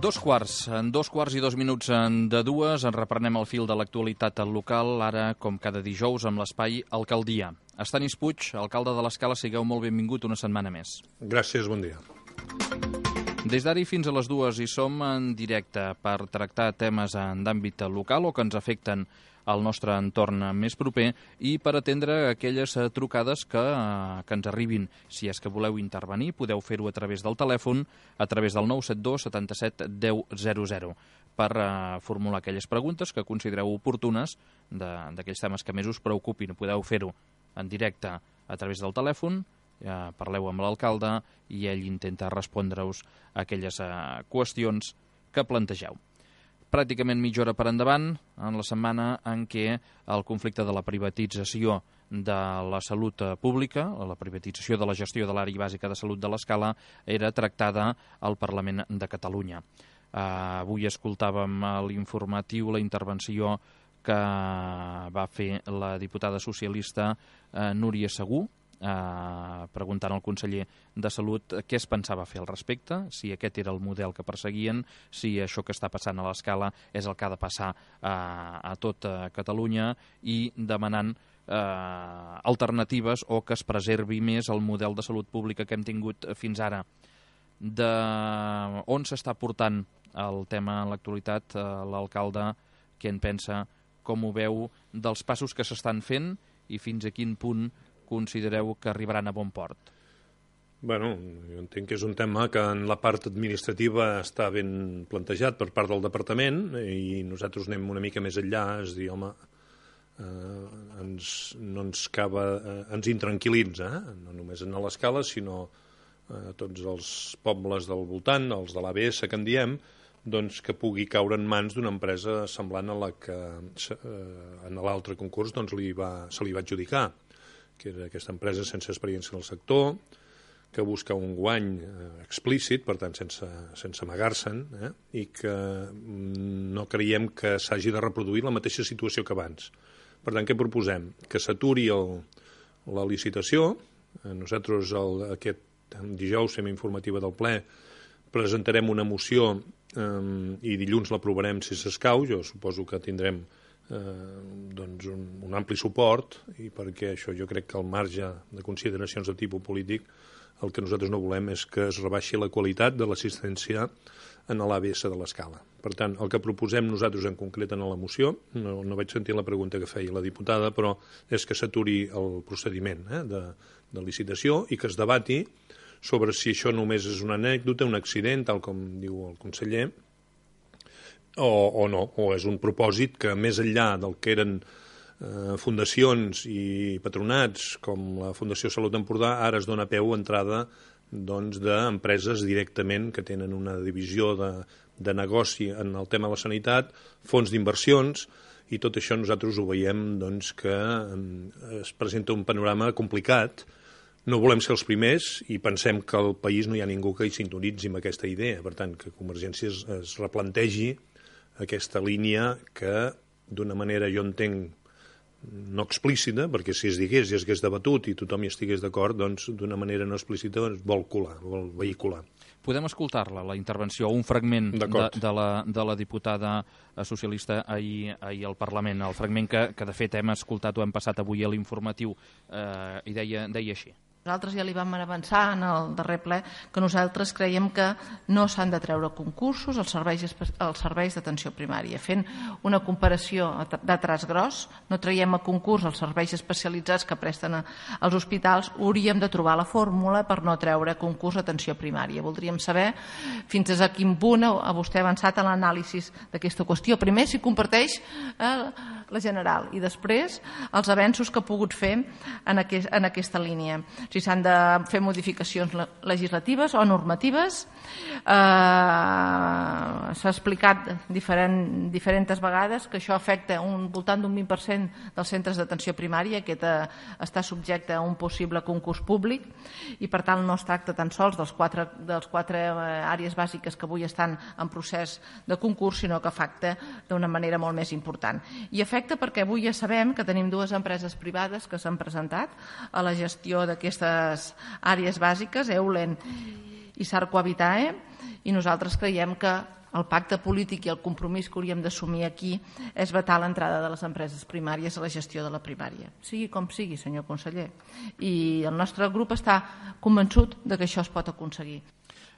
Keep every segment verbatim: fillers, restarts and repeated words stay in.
Dos quarts, en dos quarts i dos minuts de dues, en reprenem el fil de l'actualitat local, ara, com cada dijous, amb l'espai Alcaldia. Estanis Puig, alcalde de l'Escala, sigueu molt benvingut una setmana més. Gràcies, bon dia. Des d'ara i fins a les dues hi som en directe per tractar temes d'àmbit local o que ens afecten al nostre entorn més proper i per atendre aquelles trucades que, que ens arribin. Si és que voleu intervenir, podeu fer-ho a través del telèfon, a través del nou set dos setanta-set deu zero zero, per uh, formular aquelles preguntes que considereu oportunes d'aquells temes que més us preocupin. Podeu fer-ho en directe a través del telèfon, ja parleu amb l'alcalde i ell intenta respondre-us a aquelles uh, qüestions que plantegeu. Pràcticament mitja hora per endavant, en la setmana en què el conflicte de la privatització de la salut pública, la privatització de la gestió de l'àrea bàsica de salut de l'Escala, era tractada al Parlament de Catalunya. Uh, avui escoltàvem a l'informatiu la intervenció que va fer la diputada socialista uh, Núria Segú, Uh, preguntant al conseller de Salut què es pensava fer al respecte, si aquest era el model que perseguien, si això que està passant a l'Escala és el que ha de passar uh, a tot uh, Catalunya, i demanant uh, alternatives o que es preservi més el model de salut pública que hem tingut fins ara. De on s'està portant el tema en l'actualitat, uh, l'alcalde, què en pensa, com ho veu, dels passos que s'estan fent i fins a quin punt considereu que arribaran a bon port? Bueno, jo entenc que és un tema que en la part administrativa està ben plantejat per part del departament i nosaltres anem una mica més enllà, és dir, home, eh, ens, no ens cava, eh, ens intranquil·litza, eh? No només en l'Escala, sinó a eh, tots els pobles del voltant, els de l'A B S que en diem, doncs que pugui caure en mans d'una empresa semblant a la que eh, en l'altre concurs doncs, li va, se li va adjudicar, que era aquesta empresa sense experiència en el sector, que busca un guany eh, explícit, per tant, sense, sense amagar-se'n, eh, i que no creiem que s'hagi de reproduir la mateixa situació que abans. Per tant, què proposem? Que s'aturi la licitació. Nosaltres el, aquest dijous, fem informativa del ple, presentarem una moció eh, i dilluns l'aprovarem si s'escau. Jo suposo que tindrem Eh, doncs un, un ampli suport, i perquè això jo crec que al marge de consideracions de tipus polític el que nosaltres no volem és que es rebaixi la qualitat de l'assistència en l'A B S de l'Escala. Per tant, el que proposem nosaltres en concret en la moció, no, no vaig sentir la pregunta que feia la diputada, però és que s'aturi el procediment eh, de, de licitació i que es debati sobre si això només és una anècdota, un accident, tal com diu el conseller, O, o no, o és un propòsit que més enllà del que eren eh, fundacions i patronats com la Fundació Salut Empordà, ara es dona peu a entrada doncs, d'empreses directament que tenen una divisió de, de negoci en el tema de la sanitat, fons d'inversions, i tot això nosaltres ho veiem doncs, que eh, es presenta un panorama complicat. No volem ser els primers i pensem que al país no hi ha ningú que hi sintonitzi amb aquesta idea. Per tant, que Convergència es, es replantegi aquesta línia que, d'una manera, jo entenc, no explícita, perquè si es digués i es hagués debatut i tothom hi estigués d'acord, doncs, d'una manera no explícita, doncs, vol colar, vol vehicular. Podem escoltar-la, la intervenció, un fragment de, de, la, de la diputada socialista ahir, ahir al Parlament, el fragment que, que de fet hem escoltat o hem passat avui a l'informatiu, eh, i deia, deia així. Nosaltres ja li vam avançar en el darrer ple que nosaltres creiem que no s'han de treure concursos als serveis, als serveis d'atenció primària. Fent una comparació de traç gros, no traiem a concurs els serveis especialitzats que presten als hospitals, hauríem de trobar la fórmula per no treure concurs d'atenció primària. Voldríem saber fins a quin punt a vostè ha avançat en l'anàlisi d'aquesta qüestió. Primer, si comparteix eh, la general, i després els avenços que ha pogut fer en, aquest, en aquesta línia. Si s'han de fer modificacions legislatives o normatives. Eh, S'ha explicat diferent, diferents vegades que això afecta un, voltant d'un vint per cent dels centres d'atenció primària, que està subjecte a un possible concurs públic, i per tant no es tracta tan sols dels quatre, dels quatre àrees bàsiques que avui estan en procés de concurs, sinó que afecta d'una manera molt més important. I afecta perquè avui ja sabem que tenim dues empreses privades que s'han presentat a la gestió d'aquestes àrees bàsiques, Eulen i Sarco Habitae, i nosaltres creiem que el pacte polític i el compromís que hauríem d'assumir aquí és vetar l'entrada de les empreses primàries a la gestió de la primària. Sigui com sigui, senyor conseller. I el nostre grup està convençut de que això es pot aconseguir.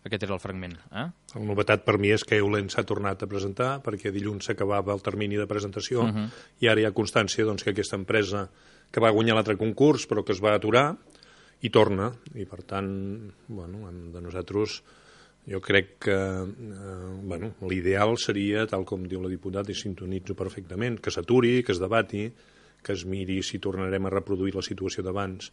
Aquest era el fragment. Eh? La novetat per mi és que Eulen s'ha tornat a presentar perquè dilluns s'acabava el termini de presentació uh -huh. i ara hi ha constància doncs, que aquesta empresa que va guanyar l'altre concurs però que es va aturar i torna. I per tant, bueno, de nosaltres jo crec que eh, bueno, l'ideal seria, tal com diu la diputada, i sintonitzo perfectament, que s'aturi, que es debati, que es miri si tornarem a reproduir la situació d'abans,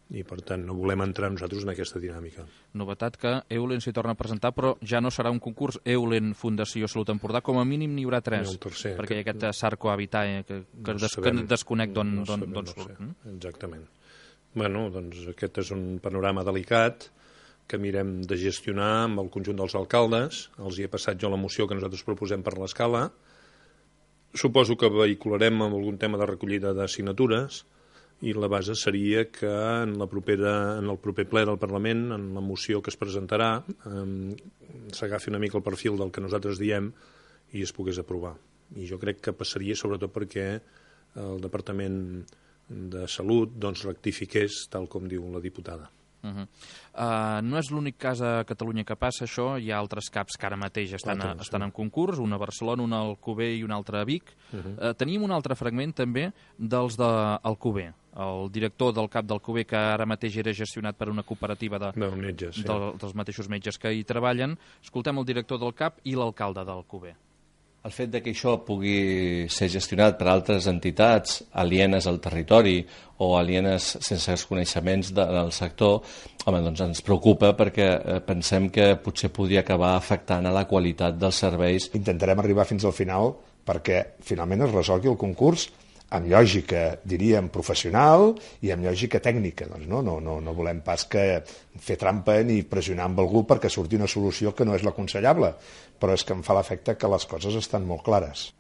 i per tant no volem entrar nosaltres en aquesta dinàmica. Novetat que Eulen s'hi torna a presentar, però ja no serà un concurs Eulen Fundació Salut Empordà, com a mínim n'hi haurà tres, el tercer, perquè hi ha aquest Sarco Habitae que, que, no des, sabem, que desconec d'on no don, sabem, don no surt. sé. Exactament. Bueno, doncs aquest és un panorama delicat que mirem de gestionar amb el conjunt dels alcaldes. Els hi he passat jo la moció que nosaltres proposem per l'escala. Suposo que vehicularem amb algun tema de recollida de signatures, i la base seria que en, la propera, en el proper ple del Parlament, en la moció que es presentarà, eh, s'agafi una mica el perfil del que nosaltres diem i es pogués aprovar. I jo crec que passaria sobretot perquè el Departament de Salut doncs, rectifiqués, tal com diu la diputada. Uh -huh. uh, no és l'únic cas a Catalunya que passa això, hi ha altres CAPs que ara mateix estan, a, estan en concurs, una a Barcelona, una a Alcover i una altra a Vic. Uh -huh. uh, tenim un altre fragment també dels d'Alcover, el director del CAP d'Alcover, que ara mateix era gestionat per una cooperativa de, de metges, sí. de, dels mateixos metges que hi treballen. Escoltem el director del CAP i l'alcalde d'Alcover. El fet de que això pugui ser gestionat per altres entitats alienes al territori o alienes sense els coneixements del sector, home, doncs ens preocupa perquè pensem que potser podria acabar afectant a la qualitat dels serveis. Intentarem arribar fins al final perquè finalment es resolgui el concurs amb lògica, diríem, professional i amb lògica tècnica. Doncs no, no, no, no volem pas que fer trampa ni pressionar amb algú perquè surti una solució que no és l'aconsellable, però és que em fa l'efecte que les coses estan molt clares.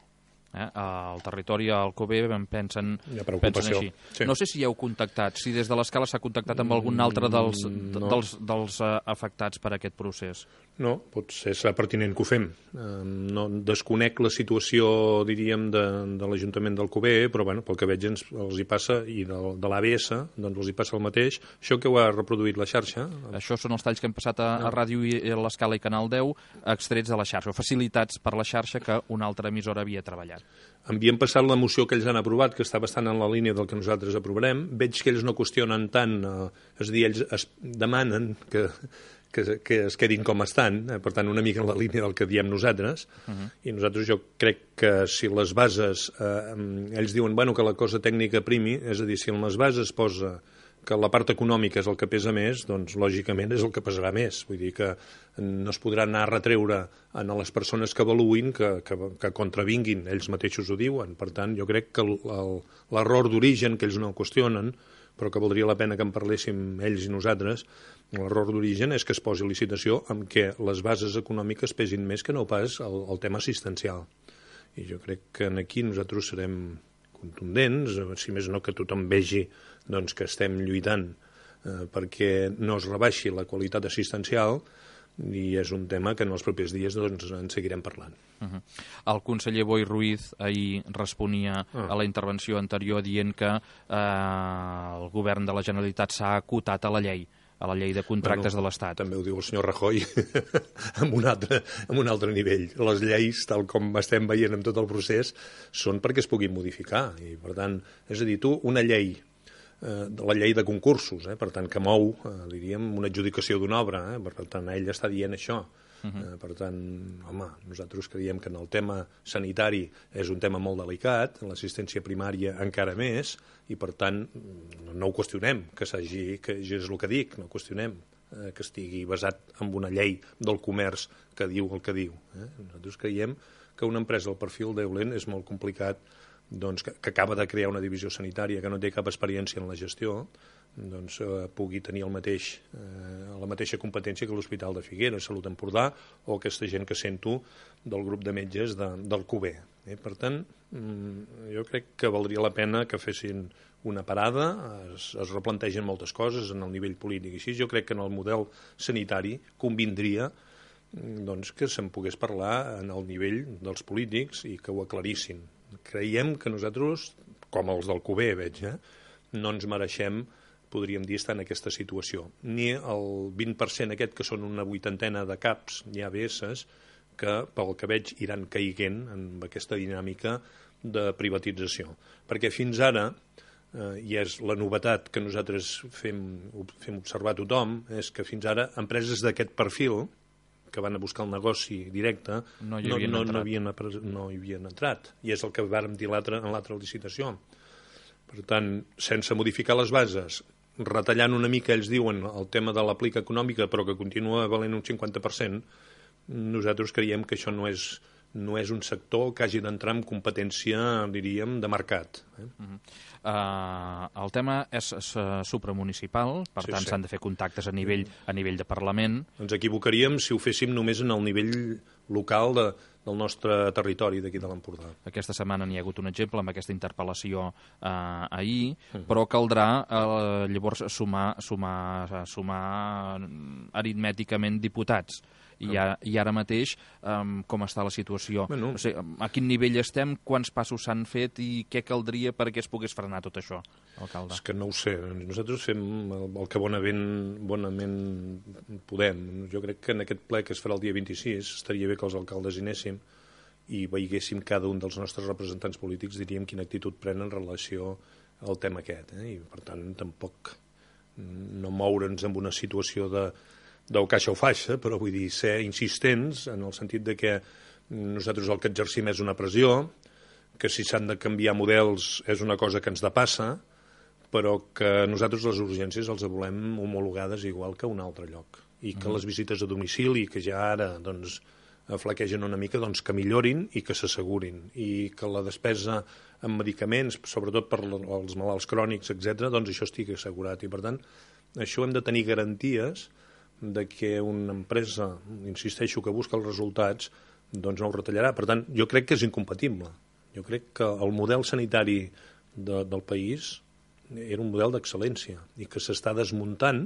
Eh? Al territori, al Alcover, pensen, pensen així. Sí. No sé si hi heu contactat, si des de l'escala s'ha contactat amb algun altre dels, no. dels, dels uh, afectats per aquest procés. No, potser serà pertinent que ho fem. Eh, no desconec la situació, diríem, de, de l'Ajuntament d'Alcover, però bueno, pel que veig ens, els hi passa, i de, de l'A B S, doncs els hi passa el mateix. Això que ho ha reproduït la xarxa. Això són els talls que hem passat a, a Ràdio i a l'Escala i Canal deu, extrets de la xarxa, o facilitats per la xarxa que una altra emissora havia treballat. Enviem passat la moció que ells han aprovat, que està bastant en la línia del que nosaltres aprovarem. Veig que ells no qüestionen tant, eh, és a dir, ells es demanen que, que, que es quedin com estan, eh, per tant, una mica en la línia del que diem nosaltres, uh -huh. i nosaltres jo crec que si les bases, eh, ells diuen bueno, que la cosa tècnica primi, és a dir, si en les bases posa que la part econòmica és el que pesa més, doncs lògicament és el que pesarà més. Vull dir que no es podrà anar a retreure a les persones que avaluïn que, que, que contravinguin, ells mateixos ho diuen. Per tant, jo crec que l'error d'origen, que ells no qüestionen, però que valdria la pena que en parléssim ells i nosaltres, l'error d'origen és que es posi licitació amb què les bases econòmiques pesin més que no pas el, el tema assistencial. I jo crec que aquí nosaltres serem contundents, si més no que tothom vegi doncs, que estem lluitant eh, perquè no es rebaixi la qualitat assistencial, i és un tema que en els propers dies doncs, en seguirem parlant. Uh -huh. El conseller Boi Ruiz ahir responia ah. a la intervenció anterior dient que eh, el govern de la Generalitat s'ha acotat a la llei, a la llei de contractes bueno, de l'Estat. També ho diu el senyor Rajoy amb, un altre, amb un altre nivell. Les lleis, tal com estem veient en tot el procés, són perquè es puguin modificar. I, per tant, és a dir, tu, una llei, eh, la llei de concursos, eh, per tant, que mou, eh, diríem, una adjudicació d'una obra, eh, per tant, ell està dient això. Uh -huh. eh, per tant, home, nosaltres creiem que en el tema sanitari és un tema molt delicat, en l'assistència primària encara més, i per tant no ho qüestionem, que s'hagi, que és el que dic, no ho qüestionem, eh, que estigui basat en una llei del comerç que diu el que diu. Eh? Nosaltres creiem que una empresa del perfil d'Eulen és molt complicat, doncs, que, que acaba de crear una divisió sanitària que no té cap experiència en la gestió, doncs, eh, pugui tenir el mateix, eh, la mateixa competència que l'Hospital de Figueres, Salut Empordà, o aquesta gent que sento del grup de metges de, del Cuber. Eh? Per tant, mm, jo crec que valdria la pena que fessin una parada, es, es replantegen moltes coses en el nivell polític i així. Jo crec que en el model sanitari convindria doncs que se'n pogués parlar en el nivell dels polítics i que ho aclarissin. Creiem que nosaltres, com els del Cuber, veig, eh, no ens mereixem, podríem dir, estar en aquesta situació. Ni el vint per cent aquest, que són una vuitantena de caps i A B S, que pel que veig iran caiguent en aquesta dinàmica de privatització. Perquè fins ara, eh, i és la novetat que nosaltres fem, fem observar a tothom, és que fins ara empreses d'aquest perfil, que van a buscar el negoci directe, no hi havien, no, no, entrat. no, havien, no hi havien entrat. I és el que vàrem dir en l'altra licitació. Per tant, sense modificar les bases, retallant una mica, ells diuen, el tema de l'aplica econòmica, però que continua valent un cinquanta per cent, nosaltres creiem que això no és, no és un sector que hagi d'entrar en competència, diríem, de mercat. Eh? Uh-huh. Uh, el tema és, és uh, supramunicipal, per sí, tant sí. s'han de fer contactes a nivell, a nivell de Parlament. Ens equivocaríem si ho féssim només en el nivell local de, del nostre territori d'aquí de l'Empordà. Aquesta setmana n'hi ha hagut un exemple amb aquesta interpel·lació eh, ahir, uh-huh. però caldrà eh, llavors sumar, sumar, sumar aritmèticament diputats. I, a, i ara mateix, um, com està la situació? Bueno. O sigui, a quin nivell estem, quants passos s'han fet i què caldria perquè es pogués frenar tot això, alcalde? És que no ho sé. Nosaltres fem el, el que bonament, bonament podem. Jo crec que en aquest ple que es farà el dia vint-i-sis estaria bé que els alcaldes hi anéssim i veiéssim cada un dels nostres representants polítics, diríem quina actitud pren en relació al tema aquest. Eh? I, per tant, tampoc no moure'ns en una situació de del caixa o faixa, però vull dir ser insistents en el sentit de que nosaltres el que exercim és una pressió, que si s'han de canviar models és una cosa que ens depassa, però que nosaltres les urgències els volem homologades igual que a un altre lloc. I que les visites a domicili, que ja ara doncs, flaquegen una mica, doncs, que millorin i que s'assegurin. I que la despesa en medicaments, sobretot per als malalts crònics, etcètera, doncs això estigui assegurat. I per tant, això hem de tenir garanties de que una empresa, insisteixo, que busca els resultats, doncs no ho retallarà. Per tant, jo crec que és incompatible. Jo crec que el model sanitari de, del país era un model d'excel·lència i que s'està desmuntant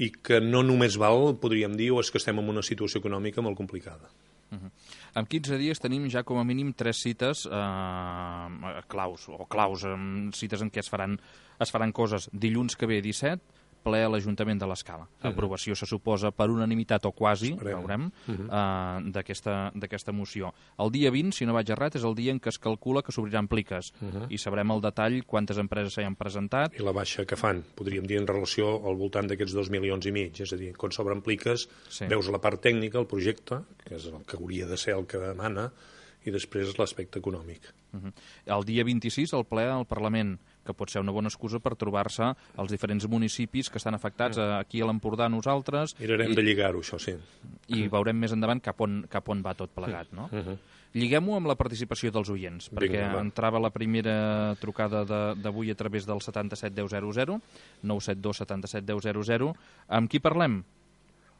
i que no només val, podríem dir, o és que estem en una situació econòmica molt complicada. Uh-huh. En quinze dies tenim ja com a mínim tres cites eh, claus, o claus, eh, cites en què es faran, es faran coses. Dilluns que ve, disset, ple a l'Ajuntament de l'Escala. Uh-huh. Aprovació se suposa per unanimitat o quasi, Esperem. veurem, Uh-huh. uh, d'aquesta moció. El dia vint, si no vaig errat, és el dia en què es calcula que s'obriran pliques uh-huh. i sabrem el detall quantes empreses s'hi han presentat. I la baixa que fan, podríem dir, en relació al voltant d'aquests dos milions i mig. És a dir, quan s'obren pliques, sí. veus la part tècnica, el projecte, que és el que hauria de ser el que demana, i després l'aspecte econòmic. Uh-huh. El dia vint-i-sis, el ple al Parlament, que pot ser una bona excusa per trobar-se els diferents municipis que estan afectats aquí a l'Empordà, nosaltres. Mirarem i, de lligar-ho, això, sí. I uh-huh. veurem més endavant cap on, cap on va tot plegat, no? Uh-huh. Lliguem-ho amb la participació dels oients, perquè Vinga, entrava la primera trucada d'avui a través del setanta-set deu zero zero, nou set dos setanta-set deu zero zero. Amb qui parlem?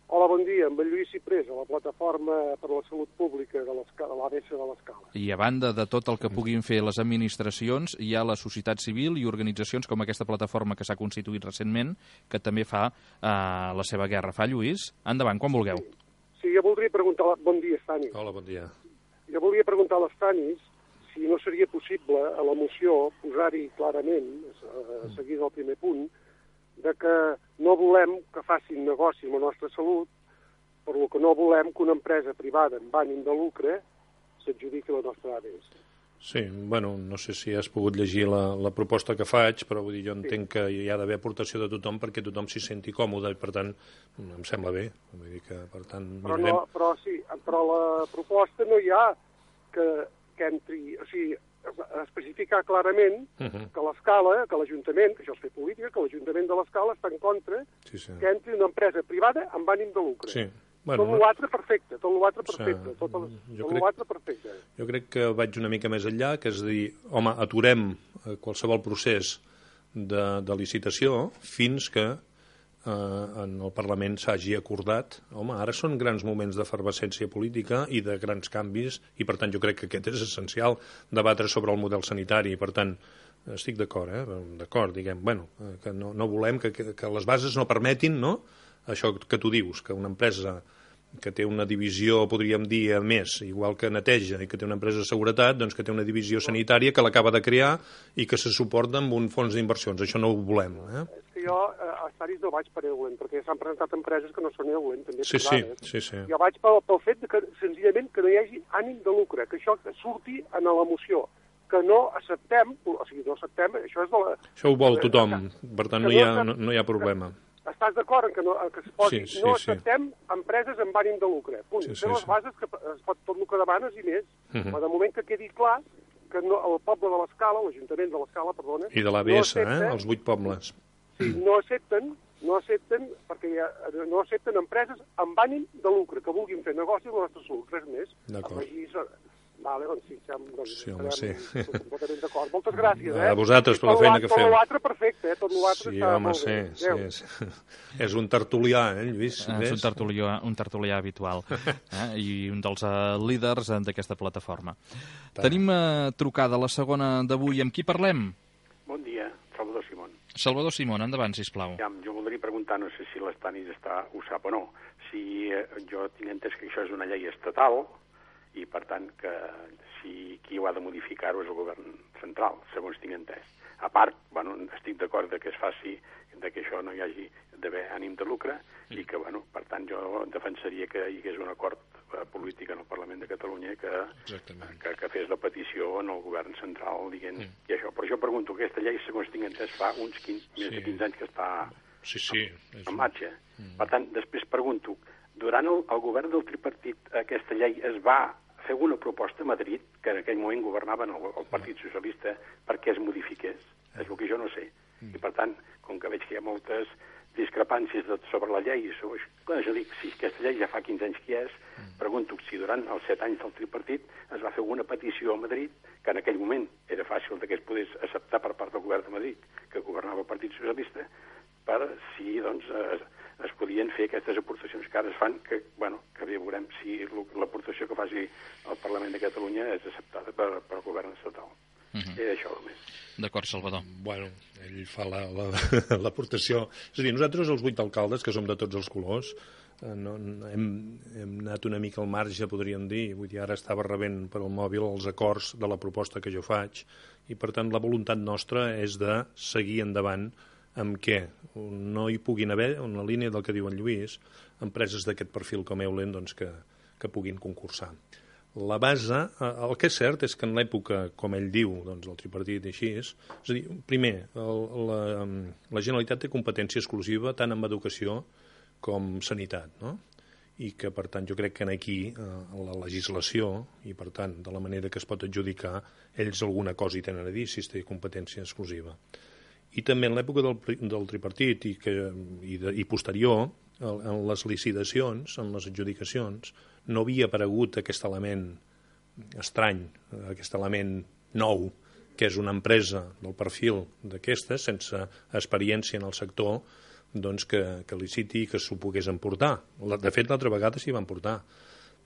Hola, bon dia. Amb en Lluís Ciprés, a la Plataforma per la Salut Pública de l'A B S de l'Escala. I a banda de tot el que puguin fer les administracions, hi ha la societat civil i organitzacions com aquesta plataforma que s'ha constituït recentment, que també fa eh, la seva guerra. Fa, Lluís? Endavant, quan vulgueu. Sí, sí, jo voldria preguntar... Bon dia, Stanis. Hola, bon dia. Jo voldria preguntar a l'Stanis si no seria possible a la moció posar-hi clarament, a seguir del primer punt, de que no volem que facin negoci amb la nostra salut, per lo que no volem que una empresa privada amb ànim de lucre s'adjudiqui la nostra A B S. Sí, bueno, no sé si has pogut llegir la, la proposta que faig, però vull dir, jo entenc sí. que hi ha d'haver aportació de tothom perquè tothom s'hi senti còmode i, per tant, em sembla bé. Vull dir que, per tant, però, mirarem... no, però sí, però la proposta no hi ha que, que entri... O sigui, especificar clarament uh-huh. que l'Escala, que l'Ajuntament, que això és fer política, que l'Ajuntament de l'Escala està en contra sí, sí. que entri una empresa privada amb ànim de lucre. Sí. Bueno, tot l'altre perfecte, tot l'altre perfecte, tot l'altre perfecte. Jo crec que vaig una mica més enllà, que és dir, home, aturem qualsevol procés de, de licitació fins que eh, en el Parlament s'hagi acordat. Home, ara són grans moments d'efervescència política i de grans canvis, i per tant jo crec que aquest és essencial, debatre sobre el model sanitari, i per tant estic d'acord, eh? d'acord, diguem, bueno, que no, no volem que, que, que les bases no permetin, no?, això que tu dius, que una empresa que té una divisió, podríem dir, a més, igual que neteja i que té una empresa de seguretat, doncs que té una divisió sanitària que l'acaba de crear i que se suporta amb un fons d'inversions. Això no ho volem. Eh? És que jo eh, a Staris no vaig per Eulen, perquè s'han presentat empreses que no són Eulen, també. Sí, sí, sí, sí. Jo vaig pel, pel fet de que, senzillament, que no hi hagi ànim de lucre, que això surti en la moció, que no acceptem, o sigui, no acceptem, això és de la... Això ho vol tothom, per tant no hi ha, no, no hi ha problema. Estàs d'acord en que, no, en que es posi, sí, sí, no sí. acceptem empreses amb ànim de lucre. Punt. Sí, sí, Són les sí. bases que es pot tot el que demanes i més. Uh -huh. Però de moment que quedi clar que no, el poble de l'Escala, l'Ajuntament de l'Escala, perdona... I de l'A B S, no accepta, eh? Els vuit pobles. Sí, no accepten, no accepten, perquè ja, no accepten empreses amb ànim de lucre, que vulguin fer negoci amb la nostra salut, res més. D'acord. Vale, doncs sí, ja, doncs, sí, home, sí. completament d'acord. Moltes gràcies, eh? A vosaltres per la feina que feu. Tot l'altre perfecte, eh? Tot l'altre sí, està home, molt bé. Sí, sí, sí. És un tertulià, eh, Lluís? És un tertulià, un tertulià habitual eh? I un dels uh, líders d'aquesta plataforma. Tant. Tenim uh, trucada la segona d'avui. Amb qui parlem? Bon dia, Salvador Simón. Salvador Simón, endavant, sisplau. Ja, jo voldria preguntar, no sé si l'Estanis està, ho sap o no, si eh, jo tinc entès que això és una llei estatal i, per tant, que si qui ho ha de modificar-ho és el govern central, segons tinc entès. A part, bueno, estic d'acord que es faci, de que això no hi hagi d'haver ànim de lucre i que, bueno, per tant, jo defensaria que hi hagués un acord eh, polític en el Parlament de Catalunya que, que, que fes la petició en el govern central dient mm. i això. Però jo pregunto, aquesta llei, segons tinc entès, fa uns quinze, sí. més de quinze anys que està sí, sí, en, en marxa. Mm. Per tant, després pregunto, durant el, el govern del tripartit aquesta llei es va fer una proposta a Madrid, que en aquell moment governaven el, el Partit Socialista, perquè es modifiqués. És el que jo no sé. I per tant, com que veig que hi ha moltes discrepàncies de, sobre la llei, sobre, clar, jo dic, si aquesta llei ja fa quinze anys que és, pregunto si durant els set anys del tripartit es va fer una petició a Madrid, que en aquell moment era fàcil que es pogués acceptar per part del govern de Madrid, que governava el Partit Socialista, per si, doncs, es, es podien fer aquestes aportacions que ara es fan, que, bueno, que bé veurem si l'aportació que faci el Parlament de Catalunya és acceptada per, per el govern estatal. Uh -huh. És això només. D'acord, Salvador. Bueno, ell fa l'aportació... La, la, és a dir, nosaltres, els vuit alcaldes, que som de tots els colors, eh, no, hem, hem anat una mica al marge, podríem dir. Vull dir, ara estava rebent per al mòbil els acords de la proposta que jo faig i, per tant, la voluntat nostra és de seguir endavant amb què no hi puguin haver, en la línia del que diu en Lluís, empreses d'aquest perfil com Eulen doncs, que, que puguin concursar. La base, el que és cert és que en l'època, com ell diu, doncs, el tripartit i així és, és a dir, primer, el, la, la Generalitat té competència exclusiva tant en educació com sanitat, no? I que, per tant, jo crec que aquí, a la legislació, i, per tant, de la manera que es pot adjudicar, ells alguna cosa hi tenen a dir si es té competència exclusiva. I també en l'època del, del tripartit i, que, i, de, i posterior, en les licitacions, en les adjudicacions, no havia aparegut aquest element estrany, aquest element nou, que és una empresa del perfil d'aquestes, sense experiència en el sector, doncs que, que liciti i que s'ho pogués emportar. De fet, l'altra vegada s'hi va emportar.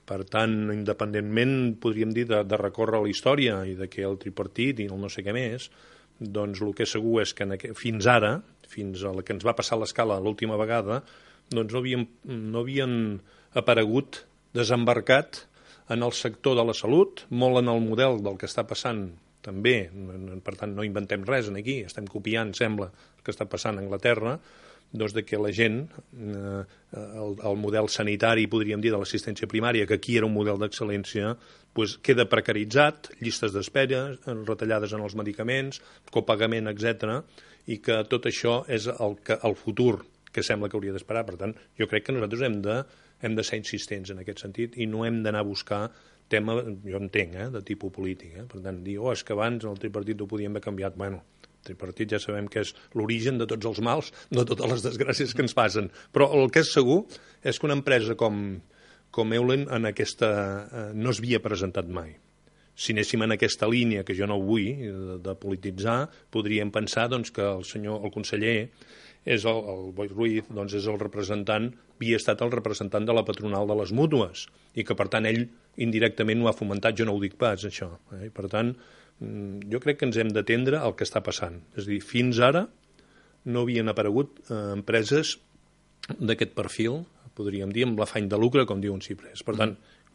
Per tant, independentment, podríem dir, de, de recórrer la història i de que el tripartit i el no sé què més, doncs el que és segur és que aquest, fins ara, fins a la que ens va passar l'escala l'última vegada, doncs no havien, no havien aparegut desembarcat en el sector de la salut, molt en el model del que està passant també, per tant no inventem res aquí, estem copiant, sembla, el que està passant a Anglaterra, doncs de que la gent, eh, el, el model sanitari, podríem dir, de l'assistència primària, que aquí era un model d'excel·lència, doncs queda precaritzat, llistes d'espera, retallades en els medicaments, copagament, etcètera, i que tot això és el, que, el futur que sembla que hauria d'esperar. Per tant, jo crec que nosaltres hem de, hem de ser insistents en aquest sentit i no hem d'anar a buscar tema, jo entenc, eh, de tipus polític. Eh? Per tant, dir, oh, és que abans el tripartit ho podíem haver canviat. Bueno, el tripartit ja sabem que és l'origen de tots els mals, de totes les desgràcies que ens passen. Però el que és segur és que una empresa com, com Eulen en aquesta, eh, no es havia presentat mai. Si anéssim en aquesta línia, que jo no ho vull, de, de polititzar, podríem pensar doncs, que el senyor, el conseller, és el, el Boi Ruiz, doncs és el representant, havia estat el representant de la patronal de les mútues, i que per tant ell indirectament ho ha fomentat, jo no ho dic pas, això. Eh? Per tant, jo crec que ens hem d'atendre al que està passant. És a dir, fins ara no havien aparegut eh, empreses d'aquest perfil, podríem dir, amb l'afany de lucre, com diu un Ciprés. Per tant,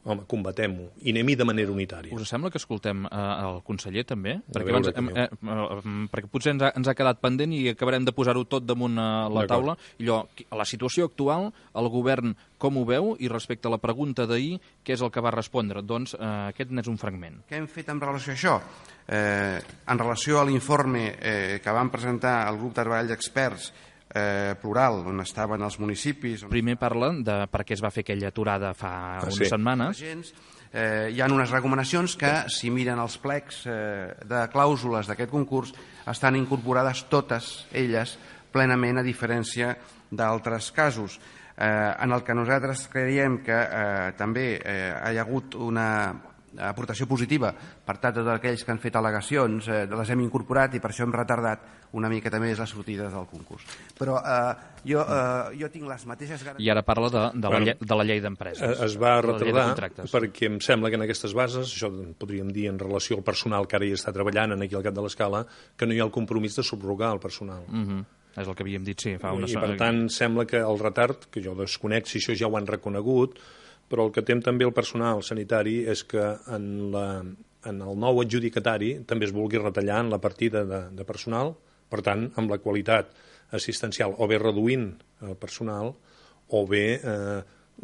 home, combatem-ho i anem-hi de manera unitària. Us sembla que escoltem eh, el conseller, també? A Perquè, veure, abans, eh, eh, perquè potser ens ha, ens ha quedat pendent i acabarem de posar-ho tot damunt eh, la taula. I allò, a la situació actual, el govern com ho veu? I respecte a la pregunta d'ahir, què és el que va respondre? Doncs eh, aquest n'és un fragment. Què hem fet en relació a això? Eh, en relació a l'informe eh, que van presentar el grup de treball d'experts Eh, plural, on estaven els municipis... On... Primer parla de per què es va fer aquella aturada fa ah, unes sí. setmanes. Eh, hi ha unes recomanacions que, si miren els plecs eh, de clàusules d'aquest concurs, estan incorporades totes elles plenament, a diferència d'altres casos. Eh, en el que nosaltres creiem que eh, també eh, hi ha hagut una aportació positiva per tant tots aquells que han fet al·legacions, eh, les hem incorporat i per això hem retardat una mica també les sortides del concurs. Però eh, jo, eh, jo tinc les mateixes garanties... I ara parla de, de, la, bueno, llei, de la llei d'empreses. Es va retardar perquè em sembla que en aquestes bases, això podríem dir en relació al personal que ara hi està treballant aquí al cap de l'escala, que no hi ha el compromís de subrogar el personal. Uh-huh. És el que havíem dit, sí. Fa una... I per tant sembla que el retard, que jo desconec si això ja ho han reconegut, però el que tem també el personal sanitari és que en, la, en el nou adjudicatari també es vulgui retallar en la partida de, de personal, per tant, amb la qualitat assistencial, o bé reduint el personal, o bé eh,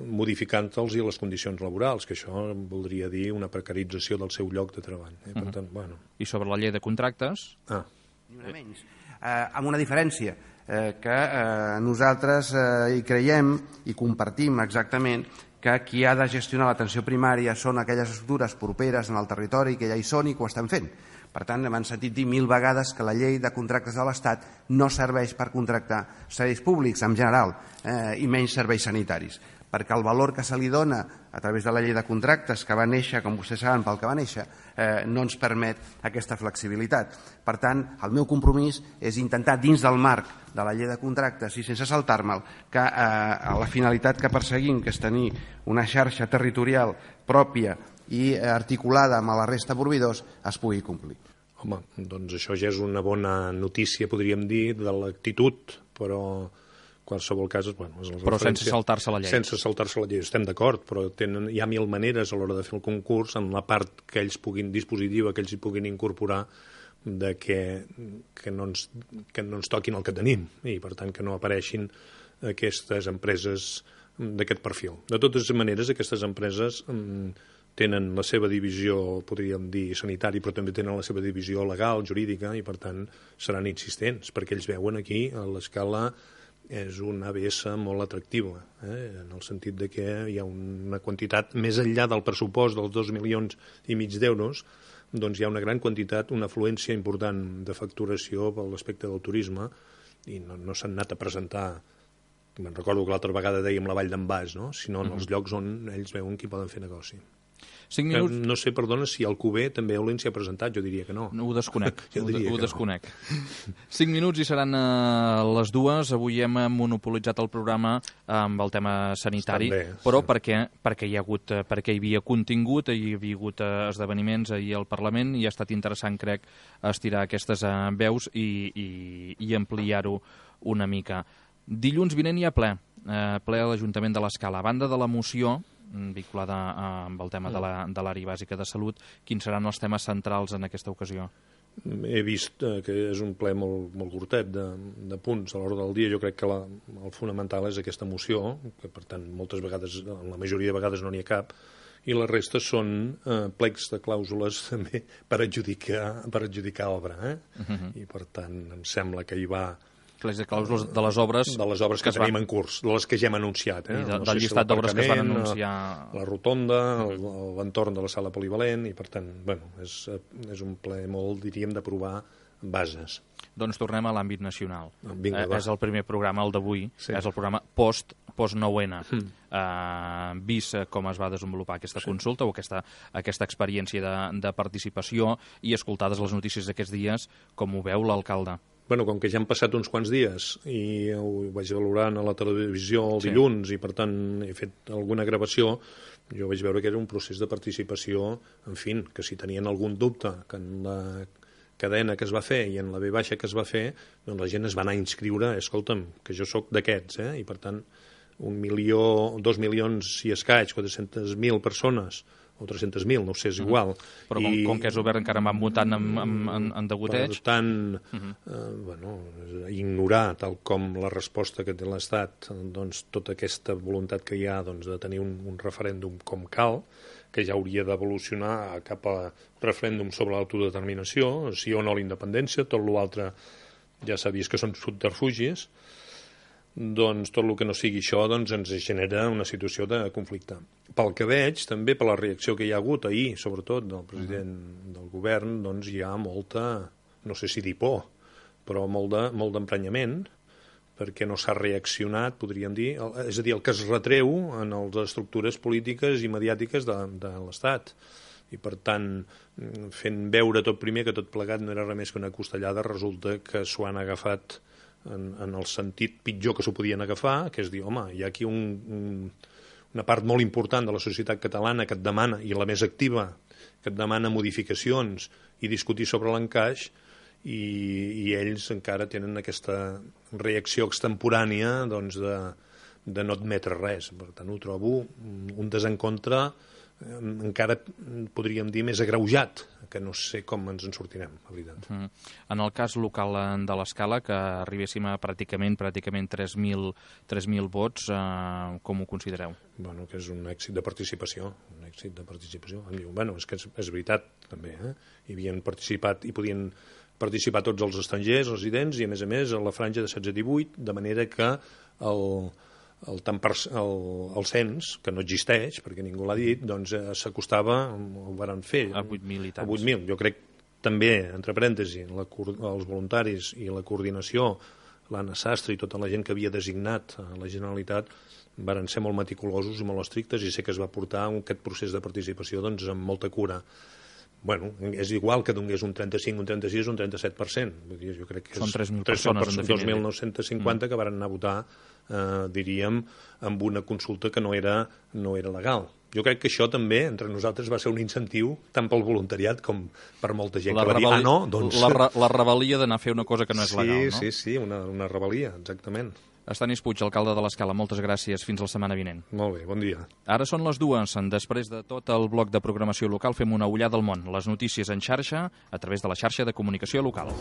modificant-los i les condicions laborals, que això voldria dir una precarització del seu lloc de treball. Eh? Per tant, bueno. I sobre la llei de contractes? Ah. Ni una menys. Eh, amb una diferència, eh, que eh, nosaltres eh, hi creiem i compartim exactament que qui ha de gestionar l'atenció primària són aquelles estructures properes en el territori que ja hi són i que ho estan fent. Per tant, hem sentit dir mil vegades que la llei de contractes de l'Estat no serveix per contractar serveis públics en general eh, i menys serveis sanitaris, perquè el valor que se li dona a través de la llei de contractes, que va néixer, com vostès saben, pel que va néixer, eh, no ens permet aquesta flexibilitat. Per tant, el meu compromís és intentar, dins del marc de la llei de contractes i sense saltar-me'l, que eh, la finalitat que perseguim, que és tenir una xarxa territorial pròpia i articulada amb la resta de proveïdors, es pugui complir. Home, doncs això ja és una bona notícia, podríem dir, de l'actitud, però qualsevol cas... Bueno, és però sense saltar-se la llei. Sense saltar-se la llei, estem d'acord, però tenen, hi ha mil maneres a l'hora de fer el concurs en la part que ells puguin, dispositiva, que ells hi puguin incorporar, de que, que, no ens, que no ens toquin el que tenim i, per tant, que no apareixin aquestes empreses d'aquest perfil. De totes maneres, aquestes empreses tenen la seva divisió, podríem dir, sanitari, però també tenen la seva divisió legal, jurídica, i, per tant, seran insistents, perquè ells veuen aquí, a l'escala, és una A B S molt atractiva, eh? en el sentit de que hi ha una quantitat, més enllà del pressupost dels dos milions i mig d'euros, doncs hi ha una gran quantitat, una afluència important de facturació per l'aspecte del turisme, i no, no s'han anat a presentar, me'n recordo que l'altra vegada dèiem la Vall d'en Bas, no? sinó en els llocs on ells veuen que hi poden fer negoci. Cinc minuts... No sé, perdona, si el Cuber també Olent s'hi ha presentat, jo diria que no. No, ho desconec, ho, ho desconec. No. Cinc minuts i seran uh, les dues. Avui hem monopolitzat el programa amb el tema sanitari, bé, però sí. perquè, perquè, hi ha hagut, perquè hi havia contingut, hi havia hagut uh, esdeveniments ahir al Parlament, i ha estat interessant, crec, estirar aquestes uh, veus i, i, i ampliar-ho una mica. Dilluns vinent hi ha ple, uh, ple a l'Ajuntament de l'Escala. A banda de la moció vinculada amb el tema de l'àrea bàsica de salut, quins seran els temes centrals en aquesta ocasió? He vist eh, que és un ple molt, molt curtet de, de punts a l'hora del dia. Jo crec que la, el fonamental és aquesta moció, que per tant moltes vegades, la majoria de vegades no n'hi ha cap, i la resta són eh, plecs de clàusules també per adjudicar, per adjudicar obra. Eh? Uh-huh. I per tant em sembla que hi va... plecs de clàusules de les obres... De les obres que, que tenim van... en curs, de les que ja hem anunciat. Eh? I de, no del sé llistat si d'obres que es van anunciar... La rotonda, l'entorn de la sala polivalent, i per tant, bueno, és, és un ple molt, diríem, d'aprovar bases. Doncs tornem a l'àmbit nacional. Vinga, eh, és el primer programa, el d'avui, sí. És el programa post, post nou ena. Mm. Eh, vist com es va desenvolupar aquesta sí. consulta o aquesta, aquesta experiència de, de participació i escoltades les notícies d'aquests dies, com ho veu l'alcalde? Bueno, com que ja han passat uns quants dies i ho vaig valorant a la televisió el sí. dilluns i, per tant, he fet alguna gravació, jo vaig veure que era un procés de participació, en fi, que si tenien algun dubte que en la cadena que es va fer i en la V baixa que es va fer, doncs la gent es va anar a inscriure, escolta'm, que jo sóc d'aquests, eh? I per tant un milió, dos milions i escaig, quatre-centes mil persones, o tres-centes mil, no ho sé, és igual. Però com, I, com que és obert encara van votant en, en, en, en degoteig... Per tant, uh -huh. eh, bueno, ignorar, tal com la resposta que té l'Estat, doncs tota aquesta voluntat que hi ha doncs, de tenir un, un referèndum com cal, que ja hauria d'evolucionar cap a un referèndum sobre l'autodeterminació, sí o no a la independència, tot l'altre ja s'ha vist que són subterfugis, doncs tot el que no sigui això doncs, ens genera una situació de conflicte. Pel que veig, també per la reacció que hi ha hagut ahir, sobretot del president uh-huh. del govern, doncs hi ha molta, no sé si dir por, però molt de, molt d'emprenyament, perquè no s'ha reaccionat, podríem dir, és a dir, el que es retreu en les estructures polítiques i mediàtiques de, de l'Estat. I, per tant, fent veure tot primer que tot plegat no era res més que una costellada, resulta que s'ho han agafat en, en el sentit pitjor que s'ho podien agafar, que és dir, home, hi ha aquí un, un, una part molt important de la societat catalana que et demana, i la més activa, que et demana modificacions i discutir sobre l'encaix, i, i ells encara tenen aquesta reacció extemporània doncs, de, de no admetre res. Per tant, ho trobo un desencontre eh, encara, podríem dir, més agreujat, que no sé com ens en sortirem, la veritat. Mm. En el cas local de l'Escala, que arribéssim a pràcticament pràcticament tres mil vots, eh, com ho considereu? Bueno, que és un èxit de participació, un èxit de participació. Em diu, bueno, és que és, és veritat, també, eh? Hi havien participat, i podien participar tots els estrangers, residents, i a més a més a la franja de setze a divuit, de manera que el, el, el, el cens, que no existeix, perquè ningú l'ha dit, doncs eh, s'acostava, ho varen fer, a vuit mil i tants. A vuit mil. Jo crec també, entre parèntesis, la, els voluntaris i la coordinació, l'Anna Sastre i tota la gent que havia designat a la Generalitat, varen ser molt meticulosos i molt estrictes, i sé que es va portar aquest procés de participació doncs, amb molta cura. Bueno, és igual que donés un trenta-cinc, un trenta-sis, un trenta-set per cent. Vull dir, jo crec que són tres mil persones, persones, dos mil nou-cents cinquanta, mm. que van anar a votar, eh, diríem, amb una consulta que no era, no era legal. Jo crec que això també, entre nosaltres, va ser un incentiu tant pel voluntariat com per molta gent la que va dir, ah, no, doncs... La, la rebel·lia d'anar a fer una cosa que no és sí, legal, no? Sí, sí, una, una rebel·lia, exactament. Estanis Puig, alcalde de l'Escala, moltes gràcies. Fins la setmana vinent. Molt bé, bon dia. Ara són les dues. Després de tot el bloc de programació local, fem una ullada al món. Les notícies en xarxa, a través de la xarxa de comunicació local.